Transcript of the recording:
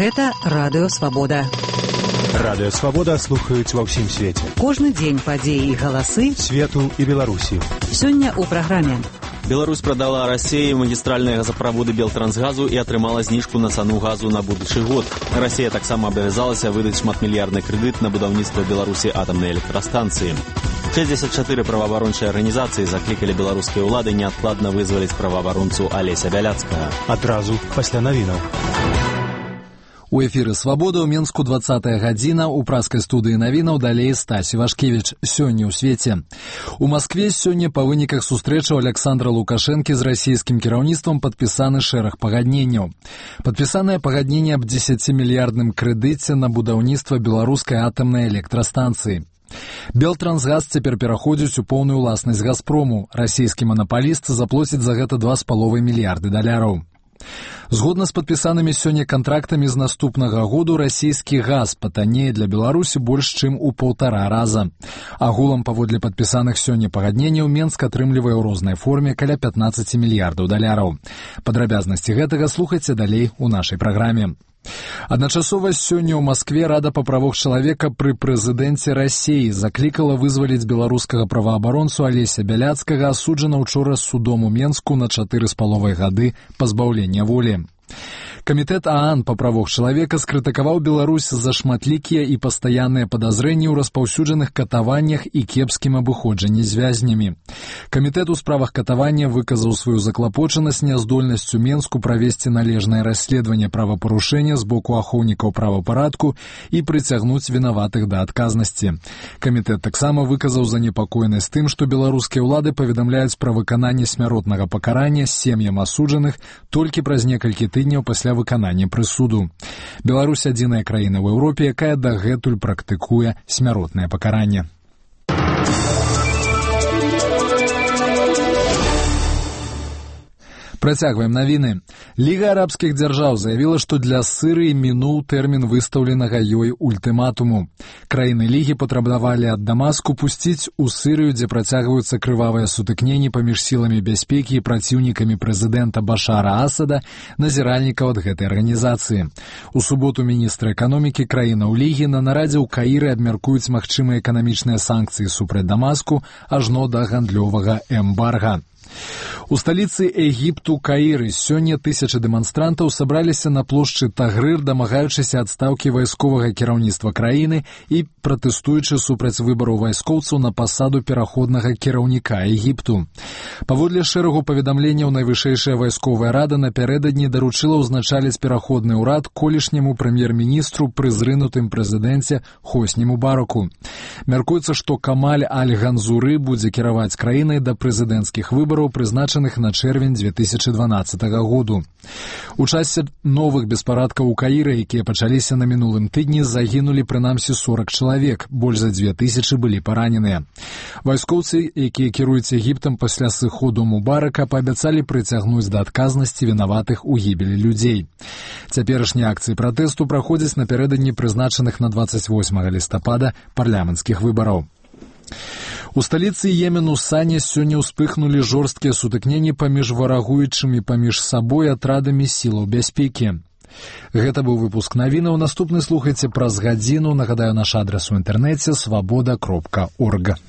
Гэта Радыё Свабода. Радыё Свабода слухаюць ва ўсім свеце. Кожны дзень падзеі і галасы свету і Беларусі. Сёння ў праграме. Беларусь продала России магистральные газопроводы Белтрансгазу и отрымала знижку на цену газу на будущий год. Россия таксама обязалась выдать шматмиллиардный кредит на будаўніцтва Беларуси атомной электростанции. 64 правоабарончыя организации закликали белорусские улады неоткладно вызволить правоабаронцу Олеся Бяляцкага. Адразу пасля навінаў. У эфіры «Свабода» ў Менску 20-я гадзіна, у праскай студыі навінаў далей Стась Івашкевіч. Сёння ў свеце. У Маскве сёння па выніках сустрэчаў Александра Лукашэнкі з расійскім кіраўніцтвам падпісаны шэраг пагадненняў. Падпісанае пагадненне аб 10-мільярдным крэдыце на будаўніцтва беларускай атамнай электрастанцыі. Белтрансгаз цяпер пераходзіць у поўную ўласнасць «Газпрому». Расійскі манапаліст заплоціць за гэта $2,5 мільярды. Згодна з падпісанымі сёння кантрактамі з наступнага году расійскі газ патаннее для Беларусі больш чым у 1,5 раза. Агулам паводле падпісаных сёння пагадненняў Менск атрымлівае ў рознай форме каля $15 мільярдаў. Падрабязнасці гэтага слухайце далей у нашай праграме. Адначасова сёння ў Маскве Рада па правах чалавека пры прэзідэнце Расіі заклікала вызваліць беларускага праваабаронцу Алеся Бяляцкага, асуджана ўчора судом у Менску на 4,5 гады пазбаўлення волі. Камітэт ААН па правах чалавека скрытыкаваў Беларусь за шматлікія і пастаянныя падазрэнні ў распаўсюджаных катаваннях і кепскім абыходжанні з вязнямі. Камітэт у справах катавання выказаў сваю заклапочанасць няздольнасцю Менску правесці належнае расследаванне правапарушэння з боку ахоўнікаў правапарадку і прыцягнуць вінаватых да адказнасці. Камітэт таксама выказаў занепакоенасць тым, што беларускія ўлады паведамляюць пра выкананне смяротнага пакарання сем'ям асуджаных толькі праз некалькі тыдняў пасля выканання прысуду. Беларусь адзіная краіна ў Еўропе, якая дагэтуль практыкуе смяротнае пакаранне. Працягваем навіны. Ліга арабскіх дзяржаў заявіла, што для Сырыі мінуў тэрмін выстаўленага ёй ультыматуму. Краіны Лігі патрабавалі ад Дамаску пусціць у Сырыю, дзе працягваюцца крывавыя сутыкненні паміж сіламі бяспекі і праціўнікамі прэзідэнта Башара Асада, назіральнікаў ад гэтай арганізацыі. У суботу міністры эканомікі краінаў Лігі на нарадзе ў Каіры абмяркуюць магчымыя эканамічныя санкцыі супраць Дамаску ажно да гандлёвага эмбарга. У сталіцы Егіпту Каіры сёння тысячы дэманстрантаў сабраліся на плошчы Тагрыр, дамагаючыся адстаўкі вайсковага кіраўніцтва краіны і пратэстуючы супраць выбараў вайскоўцаў на пасаду пераходнага кіраўніка Егіпту. Паводле шэрагу паведамленняў найвышэйшая вайсковая рада напярэдадні даручыла ўзначаліць пераходны ўрад колішняму прэм'ер-міністру пры зрынутым прэзідэнце Хосні Мубараку. Мяркуецца, што Камаль Аль-Ганзуры будзе кіраваць краінай да прэзідэнцкіх выбараў, прызначаных на чэрвень 2012 году. У часе новых беспарадкаў у Каіры, якія пачаліся на мінулым тыдні, загінулі прынамсі 40 чалавек, больш за 2000 былі параненыя. Вайскоўцы, якія кіруюць Егіптам пасля сыходу Мубарака, паабяцалі прыцягнуць да адказнасці вінаватых у гібелі людзей. Цяперашнія акцыі пратэсту праходзяць напярэдадні прызначаных на 28 лістапада парламенцкіх выбараў. У сталіцы Йемену Сане сёння ўспыхнулі жорсткія сутыкненні паміж варагуючымі паміж сабой атрадамі сілаў бяспекі. Гэта быў выпуск навінаў. Наступны слухайце праз гадзіну. Нагадаю, наш адрас у інтэрнэце свабода.орг.